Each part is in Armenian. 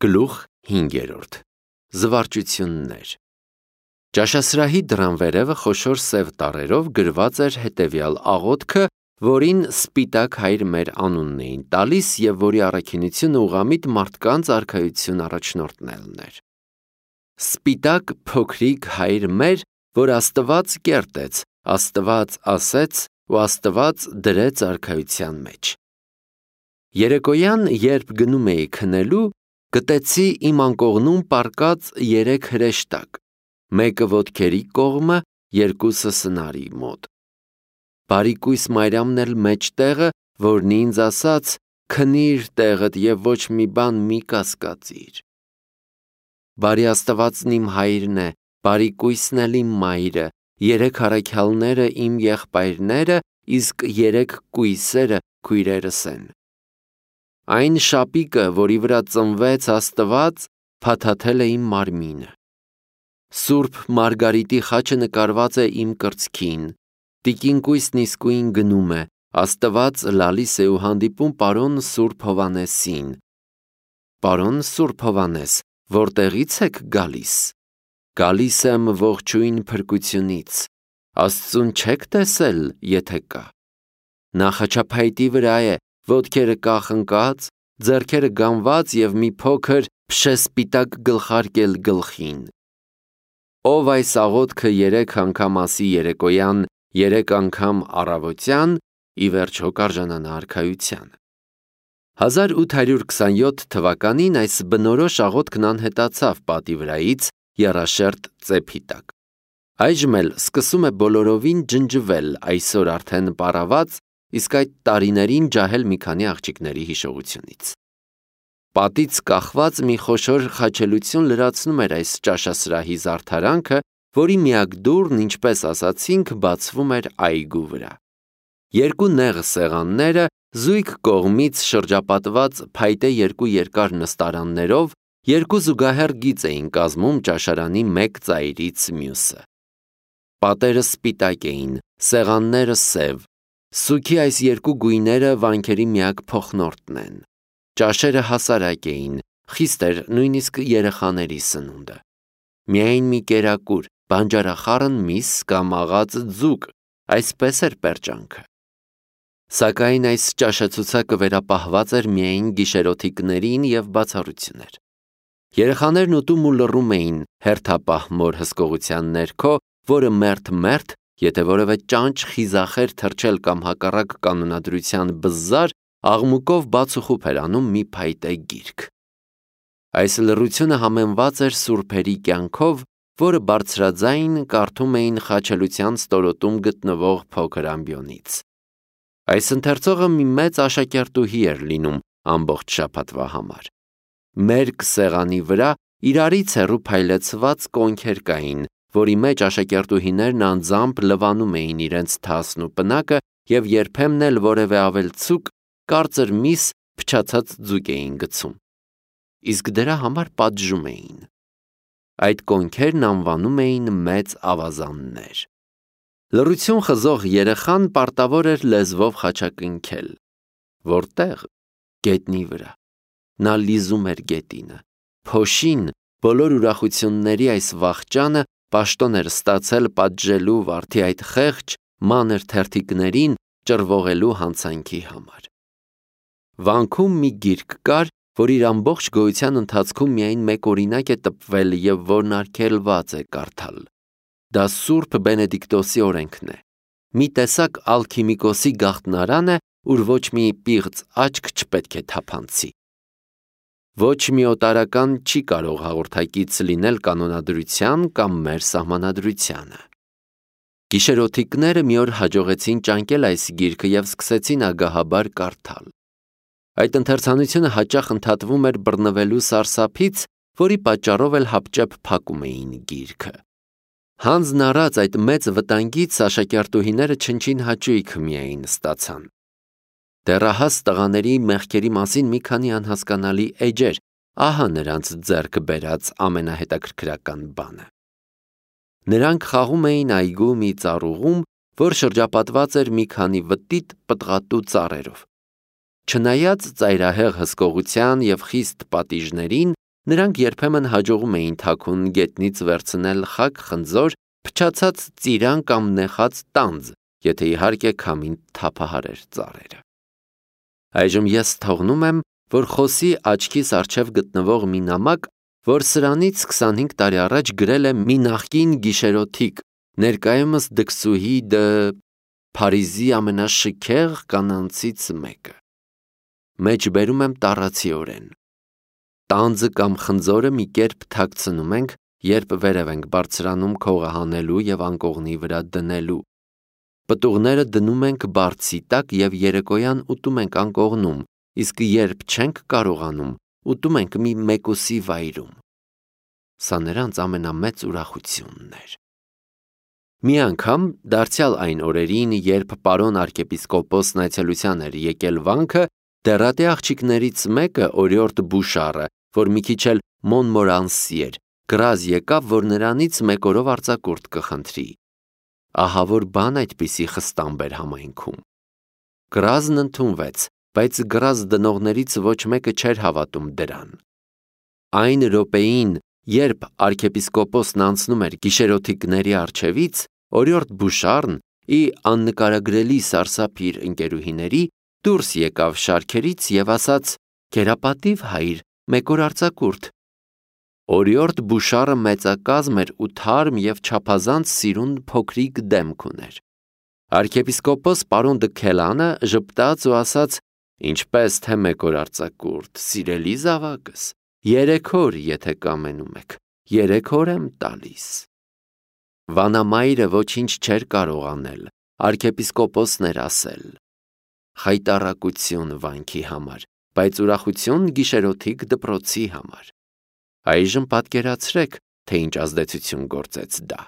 Գլուխ 5. Զվարճություններ։ Ճաշասրահի դռան վերևը խոշոր սև տառերով գրված էր հետևյալ աղոթքը, որին սպիտակ հայր մեր անունն էին տալիս և որի առաքինությունը ուղղամիտ մարդկանց արքայություն առաջնորդելն էր։ Սպիտակ փոքրիկ հայր մեր, որ Աստված կերտեց, Աստված ասեց ու Աստված դրեց արքայության մեջ։ Երեկոյան, երբ գնում էի քնելու, գտեցի իմ անկողնում պառկած 3 հրեշտակ, մեկը ոտքերի կողմը, երկուսը սնարի մոտ։ Բարիկույս Մարիամն էլ մեջտեղը, որն ինձ ասաց. «Քնիր տեղդ և ոչ մի բան մի կասկածիր»։ Բարի Աստվածն իմ հայրն է, բարիկույսն էլ իմ մայրը, 3 առաքյալները իմ եղբայրները, իսկ 3 կույսերը քույրերս են։ Այն շապիկը, որի վրա ծնվեց Աստված, փաթաթել է իմ մարմինը։ Սուրբ Մարգարիտի խաչը նկարված է իմ կրծքին, տիկինկույսն իսկույն գնում է, Աստված լալիս է ու հանդիպում պարոն Սուրբ Հովհաննեսին։ Պարոն Սուրբ Հովհաննես, որտեղից եք գալիս։ Գալիս եմ ողջույն փրկությունից, Աստծուն չեք տեսել, եթե կա։ Նա խաչափայտի վրա է, ոտքերը կախնկած, ձեռքերը գամված և մի փոքր փշեսպիտակ գլխարկ էլ գլխին։ Ով այս աղոթքը 3 անգամ ասի երեկոյան, 3 անգամ առավոտյան, ի վերջո կարժանանա արքայության։ 1827 թվականին այս բնորոշ աղոթքն անհետացավ պատի վրայից եռաշերտ ծեփի տակ։ Այժմ էլ սկսում է բոլորովին ջնջվել, այսօր արդեն պառաված, իսկ այդ տարիներին ջահել մի քանի աղջիկների հիշողությունից։ Պատից կախված մի խոշոր խաչելություն լրացնում էր այս ճաշասրահի զարդարանքը, որի միակ դուռն, ինչպես ասացինք, բացվում էր այգու վրա։ 2 նեղ սեղանները զույգ կողմից շրջապատված փայտե 2 երկար նստարաններով 2 զուգահեռ գիծ էին կազմում ճաշարանի մեկ ծայրից մյուսը։ Պատերը սպիտակ էին, սեղանները սև։ Սուգի այս 2 գույները վանքերի միակ փոխնորդն են։ Ճաշերը հասարակ էին, խիստ էր նույնիսկ երեխաների սնունդը։ Միայն մի կերակուր, բանջարախառն միս կամ աղած ձուկ, այսպես էր պերճանքը։ Սակայն այս ճաշացուցակը վերապահված էր միայն գիշերօթիկներին և բացառություններ։ Երեխաներն ուտում ու լռում էին հերթապահ մոր հսկողության ներքո, որը մերթ, եթե որևէ ճանճ խիզախ էր թռչել կամ հակառակ կանոնադրության բզզար, աղմուկով բաց ու խուփ էր անում մի փայտե գիրք։ Այս լռությունը համեմված էր սուրբերի կյանքով, որը բարձրաձայն կարդում էին խաչելության ստորոտում գտնվող փոքր ամբիոնից։ Այս ընթերցողը մի մեծ աշակերտուհի էր լինում ամբողջ շաբաթվա համար։ Մերկ սեղանի վրա իրարից հեռու փայլեցված կոնքեր կային, որի մեջ աշակերտուհիներն անձամբ լվանում էին իրենց թասն ու պնակը և երբեմն էլ որևէ ավելցուկ, կարծր միս, փչացած ձուկ էին գցում։ Իսկ դրա համար պատժում էին։ Այդ կոնքերն անվանում էին մեծ ավազաններ։ Լռություն խզող երեխան պարտավոր էր լեզվով խաչակնքել։ Որտեղ։ Գետնի վրա։ Նա լիզում էր գետինը։ Փոշին, բոլոր ուրախությունների այս վախճանը պաշտոն էր ստացել պատժելու վարդի այդ խեղճ, մանր թերթիկներին ճռվողելու հանցանքի համար։ Վանքում մի գիրք կար, որ իր ամբողջ գոյության ընթացքում միայն մեկ օրինակ է տպվել և որն արգելված է կարդալ։ Դա Սուրբ Բենեդիկտոսի օրենքն է։ Մի տեսակ ալքիմիկոսի գաղտնարան է, ուր ոչ մի պիղծ աչք չպետք է թափանցի։ Ոչ մի օտարական չի կարող հաղորդակից լինել կանոնադրության կամ մեր սահմանադրությանը։ Գիշերօթիկները մի օր հաջողեցին ճանկել այս գիրքը և սկսեցին ագահաբար կարդալ։ Այդ ընթերցանությունը հաճախ ընդհատվում էր բռնվելու սարսափից, որի պատճառով էլ հապճեպ փակում էին գիրքը։ Հանձն առած այդ մեծ վտանգից աշակերտուհիները չնչին հաճույք միայն ստացան։ Դեռահաս տղաների մեղքերի մասին մի քանի անհասկանալի էջեր, ահա նրանց ձեռք բերած ամենահետաքրքրական բանը։ Նրանք խաղում էին այգու մի ծառուղում, որ շրջապատված էր մի քանի վտիտ պտղատու ծառերով։ Չնայած ծայրահեղ հսկողության և խիստ պատիժներին, Նրանք երբեմն հաջողում էին թաքուն գետնից վերցնել խակ խնձոր, փչացած ծիրան կամ նեխած տանձ, եթե իհարկե քամին թափահարեր ծառերը։ Այժմ ես թողնում եմ, որ խոսի աչքիս առջև գտնվող մի նամակ, որ սրանից 25 տարի առաջ գրել է մի նախկին գիշերօթիկ, ներկայումս դքսուհի Փարիզի ամենաշքեղ կանանցից մեկը։ Մեջբերում եմ տառացիորեն։ Տանձը կամ խնձորը մի կերպ թաքցնում ենք, երբ վերև ենք բարձրանում քողը հանելու և անկողնի վրա դնելու։ Պտուղները դնում ենք բարձի տակ և երեկոյան ուտում ենք անկողնում, իսկ երբ չենք կարողանում, ուտում ենք մի մեկուսի վայրում։ Սա նրանց ամենամեծ ուրախությունն էր։ Մի անգամ, դարձյալ այն օրերին, երբ պարոն arczepiskopos-ն այցելության էր եկել վանքը, դեռատի աղջիկներից մեկը, օրիորդ Բուշարը, որ մի քիչ էլ Մոնմորանսի էր, գրազ եկավ, որ նրանից մեկ օրով արձակուրդ կխնդրի։ Ահա որ բան այդպիսի խստամբ էր համայնքում։ Գրազն ընդունվեց, բայց գրազ դնողներից ոչ մեկը չէր հավատում դրան։ Այն րոպեին, երբ arczepiskopos-ն անցնում էր գիշերօթիկների առջևից, օրիորդ Բուշարն ի աննկարագրելի սարսափ իր ընկերուհիների դուրս եկավ շարքերից և ասաց. «Կերապատիվ հայր, մեկ օր արձակուրդ»։ Օրիորդ Բուշարը մեծակազմ էր ու թարմ և չափազանց սիրուն փոքրիկ դեմք ուներ։ Arczepiskopos պարոն Դքելանը ժպտաց ու ասաց. «Ինչպես թե մեկ օր արձակուրդ, սիրելի զավակս, 3 օր, եթե կամենում եք, 3 օր եմ տալիս»։ Վանամայրը ոչինչ չէր կարող անել, arczepiskopos-ն էր ասել։ Խայտառակություն վանքի համար, բայց ուրախություն գիշերօթիկ դպրոցի համար։ Այժմ պատկերացրեք, թե ինչ ազդեցություն գործեց դա։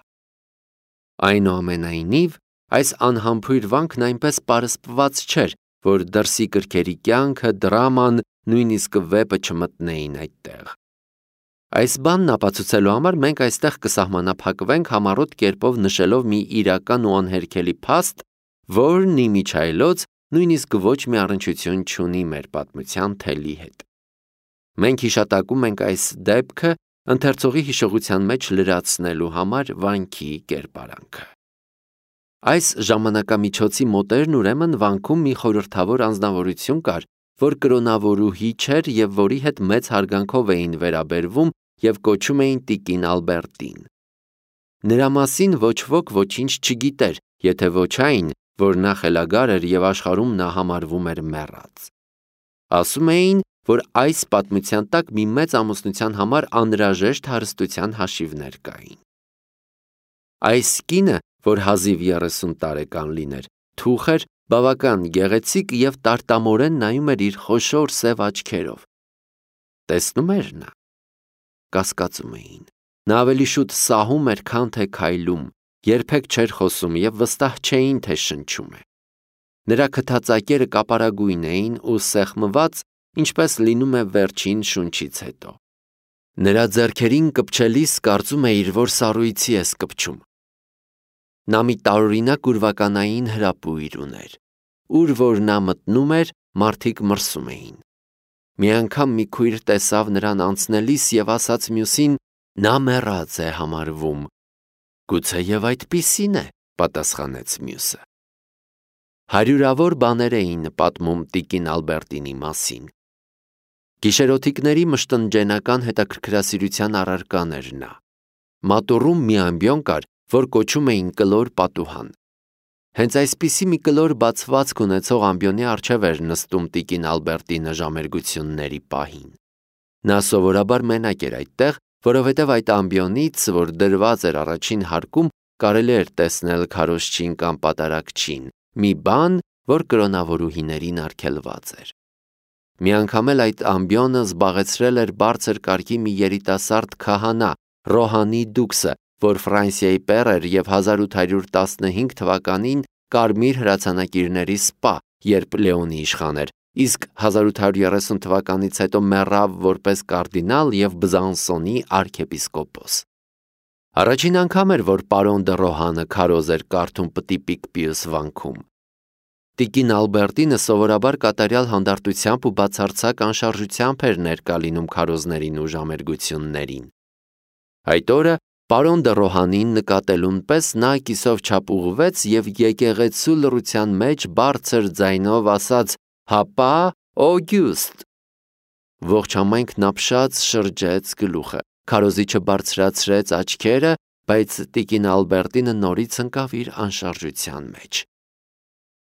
Այնուամենայնիվ, այս անհամբույր վանքն այնպես պարսպված չէր, որ դրսի կրքերի կյանքը, դրաման, նույնիսկ վեպը չմտնեին այդտեղ։ Այս բանն ապացուցելու համար մենք այստեղ կսահմանափակվենք համառոտ կերպով նշելով մի իրական ու անհերքելի փաստ, որն իմիջիայլոց նույնիսկ ոչ մի առնչություն չունի մեր պատմության թելի հետ։ Մենք հիշատակում ենք այս դեպքը ընթերցողի հիշողության մեջ լրացնելու համար վանքի կերպարանքը։ Այս ժամանակամիջոցի մոտերն ուրեմն վանքում մի խորհրդավոր անձնավորություն կար, որ կրոնավորուհի չէր և որի հետ մեծ հարգանքով էին վերաբերվում և կոչում էին տիկին Ալբերտին։ Նրա մասին ոչ ոք ոչինչ չգիտեր, եթե ոչ այն, որ նա խելագար էր և աշխարհում նա համարվում էր մեռած։ Ասում էին, որ այս պատմության տակ մի մեծ ամուսնության համար անհրաժեշտ հարստության հաշիվներ կային։ Այս կինը, որ հազիվ 30 տարեկան լիներ, թուխ էր, բավական գեղեցիկ և տարտամորեն նայում էր իր խոշոր սև աչքերով։ Տեսնում էր նա։ Կասկածում էին։ Նա ավելի շուտ սահում էր, քան թե քայլում, երբեք չէր խոսում և վստահ չէին, թե շնչում է։ Նրա քթածակերը կապարագույն էին ու սեղմված, ինչպես լինում է վերջին շունչից հետո։ Նրա ձեռքերին կպչելիս կարծում էիր, որ սառույցի ես կպչում։ Նա մի տարօրինակ ուրվականային հրապույր ուներ։ Ուր որ նա մտնում էր, մարդիկ մրսում էին։ Մի անգամ մի քույր տեսավ նրան անցնելիս և ասաց մյուսին. «Նա մեռած է համարվում»։ «Գուցեև այդպիսին է», պատասխանեց մյուսը։ Հարյուրավոր բաներ էին պատմում տիկին Ալբերտինի մասին։ Գիշերօթիկների մշտնջենական հետաքրքրասիրության առարկան էր նա։ Մատուռում մի ամբիոն կար, որ կոչում էին կլոր պատուհան։ Հենց այսպիսի մի կլոր բացվածք ունեցող ամբիոնի առջև էր նստում տիկին Ալբերտինը ժամերգությունների պահին։ Նա սովորաբար մենակ էր այդտեղ, որովհետև այդ ամբիոնից, որ դրված էր առաջին հարկում, կարելի էր տեսնել քարոզչին կամ պատարագչին, մի բան, որ կրոնավորուհիներին արգելված էր։ Մի անգամ էլ այդ ամբիոնը զբաղեցրել էր բարձր կարգի մի երիտասարդ քահանա, Ռոհանի Դուքսը, որ Ֆրանսիայի պեր էր և 1815 թվականին կարմիր հրացանակիրների սպա, երբ Լեոնի իշխան էր, իսկ 1830 թվականից հետո մեռավ որպես կարդինալ և Բզանսոնի arczepiskopos։ Առաջին անգամ էր, որ պարոն դը Ռոհանը քարոզ էր կարդում պտի Պիկպիուս վանքում։ Տիկին Ալբերտինը սովորաբար կատարյալ հանդարտությամբ ու բացարձակ անշարժությամբ էր ներկա լինում քարոզներին ու ժամերգություններին։ Այդ օրը պարոն դը Ռոհանին նկատելուն պես նա կիսով չափ ուղղվեց և եկեղեցու լռության մեջ բարձր ձայնով ասաց. «Հապա, Օգյուստ»։ Ողջ համայնքն ապշած շրջեց գլուխը, քարոզիչը բարձրացրեց աչքերը, բայց տիկին Ալբերտինը նորից ընկավ իր անշարժության մեջ։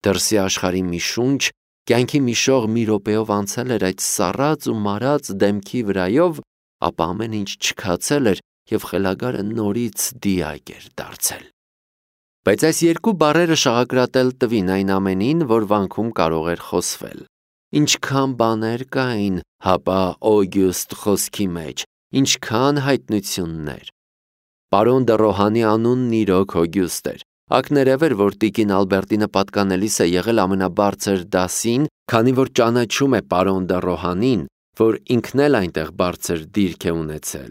Դրսի աշխարհի մի շունչ, կյանքի մի շող մի րոպեով անցել էր այդ սառած ու մարած դեմքի վրայով, ապա ամեն ինչ չքացել էր և խելագարը նորից դիակ էր դարձել։ Բայց այս երկու բառերը շաղակրատել տվին այն ամենին, որ վանքում կարող էր խոսվել։ Ինչքան բաներ կային հապա Օգյուստ խոսքի մեջ, ինչքան հայտնություններ։ Պարոն դը Ռոհանի անունն իրոք Օգյուստ էր։ Ակներև էր, որ տիկին Ալբերտինը պատկանելիս է եղել ամենաբարձր դասին, քանի որ ճանաչում է պարոն դը Ռոհանին, որ ինքն էլ այնտեղ բարձր դիրք է ունեցել,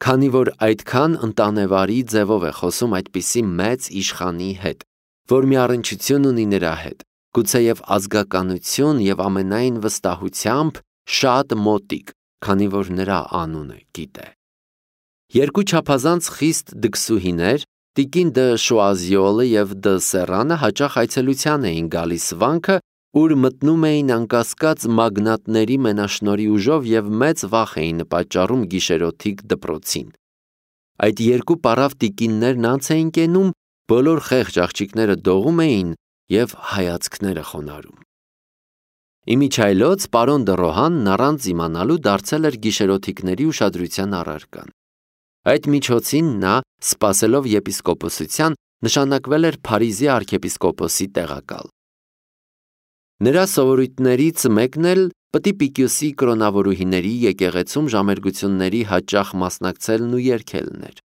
քանի որ այդքան ընտանեվարի ձևով է խոսում այդպիսի մեծ իշխանի հետ, որ մի առնչություն ունի նրա հետ, գուցեև ազգականություն և ամենայն վստահությամբ շատ մոտիկ, քանի որ նրա անունը գիտե։ Երկու չափազանց խիստ դքսուհիներ, տիկին դը Շուազիոլը և դը Սեռանը հաճախ այցելության էին գալիս վանքը, ուր մտնում էին անկասկած մագնատների մենաշնորհի ուժով և մեծ վախ էին պատճառում գիշերօթիկ դպրոցին։ Այդ երկու պառավ տիկիններն անց էին կենում, բոլոր խեղճ աղջիկները դողում էին և հայացքները խոնարհում։ Իմիջիայլոց պարոն դը Ռոհանն առանց իմանալու դարձել էր գիշերօթիկների ուշադրության առարկան։ Այդ միջոցին նա, սպասելով եպիսկոպոսության, նշանակվել էր Փարիզի արքեպիսկոպոսի տեղակալ։ Նրա սովորույթներից մեկն էլ Պտի կրոնավորուհիների եկեղեցում ժամերգությունների հաճախ մասնակցելն ու երգելն էր։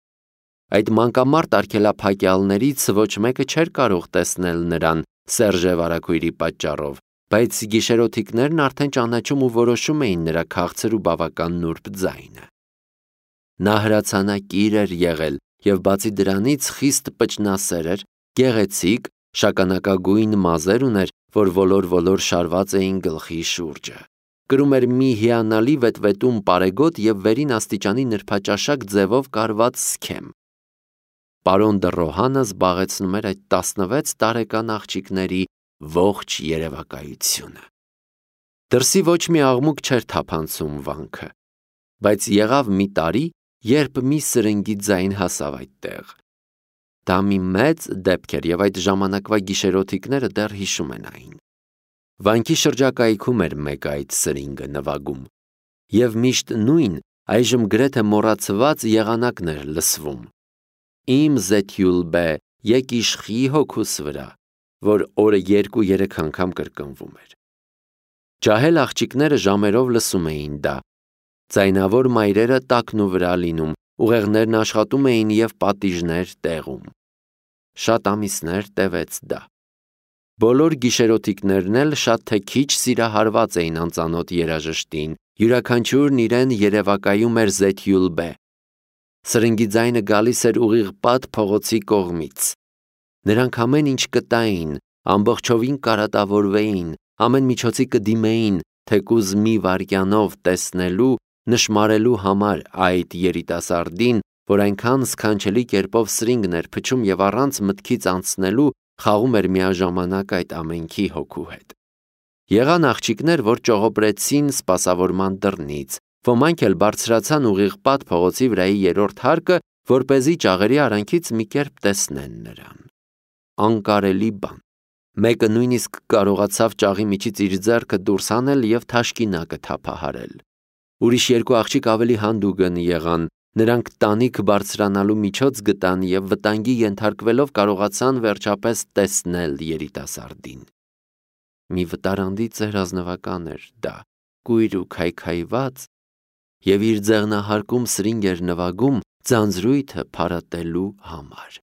Այդ մանկամարտ արգելափակյալներից ոչ մեկը չէր կարող տեսնել նրան Սերժե վարագույրի պատճառով, բայց գիշերօթիկներն արդեն ճանաչում ու որոշում էին նրա քաղցր ու բավական նուրբ ձայնը։ Նա հրացանակիր էր եղել և բացի դրանից խիստ պճնասեր էր, գեղեցիկ, շագանակագույն մազեր ուներ, որ ոլոր-ոլոր շարված էին գլխի շուրջը։ Կրում էր մի հիանալի վետվետում պարեգոտ և վերին աստիճանի նրբաճաշակ ձևով կարված սքեմ։ Պարոն դը Ռոհանը զբաղեցնում էր այդ 16 տարեկան աղջիկների ողջ երևակայությունը։ Դրսի ոչ մի աղմուկ չէր թափանցում վանքը, բայց եղավ մի տարի, երբ մի սրնգի ձայն հասավ այդտեղ։ Դա մի մեծ դեպք էր և այդ ժամանակվա գիշերօթիկները դեռ հիշում են այն։ Վանքի շրջակայքում էր մեկ այդ սրինգը նվագում, և միշտ նույն, այժմ գրեթե մոռացված եղանակն էր լսվում. «Իմ Զեթյուլբե, եկ իշխի հոգուս վրա», որ օրը 2-3 անգամ կրկնվում էր։ Ջահել աղջիկները ժամերով լսում էին դա։ Ձայնավոր մայրերը տակն ու վրա լինում, ուղեղներն աշխատում էին և պատիժներ տեղում։ Շատ ամիսներ տևեց դա։ Բոլոր գիշերօթիկներն էլ շատ թե քիչ սիրահարված էին անծանոթ երաժշտին, յուրաքանչյուրն իրեն երևակայում էր Զեթյուլբե։ Սրնգի ձայնը գալիս էր ուղիղ Պատ փողոցի կողմից։ Նրանք ամեն ինչ կտային, ամբողջովին կարատավորվեին, ամեն միջոցի կդիմեին, թեկուզ մի վայրկյանով տեսնելու, նշմարելու համար այդ երիտասարդին, որ այնքան սքանչելի կերպով սրինգն էր փչում և առանց մտքից անցնելու խաղում էր միաժամանակ այդ ամենքի հոգու հետ։ Եղան աղջիկներ, որ ճողոպրեցին սպասավորման դռնից, ոմանք էլ բարձրացան ուղիղ Պատ փողոցի վրայի երրորդ հարկը, որպեսզի ճաղերի արանքից մի կերպ տեսնեն նրան։ Անկարելի բան։ Մեկը նույնիսկ կարողացավ ճաղի միջից իր ձեռքը դուրս հանել և թաշկինակը թափահարել։ Ուրիշ երկու աղջիկ ավելի հանդուգն եղան, նրանք տանիք բարձրանալու միջոց գտան և վտանգի ենթարկվելով կարողացան վերջապես տեսնել երիտասարդին։ Մի վտարանդի ծեր ազնվական էր դա, կույր ու քայքայված, և իր ձեղնահարկում սրինգ էր նվագում ձանձրույթը փարատելու համար։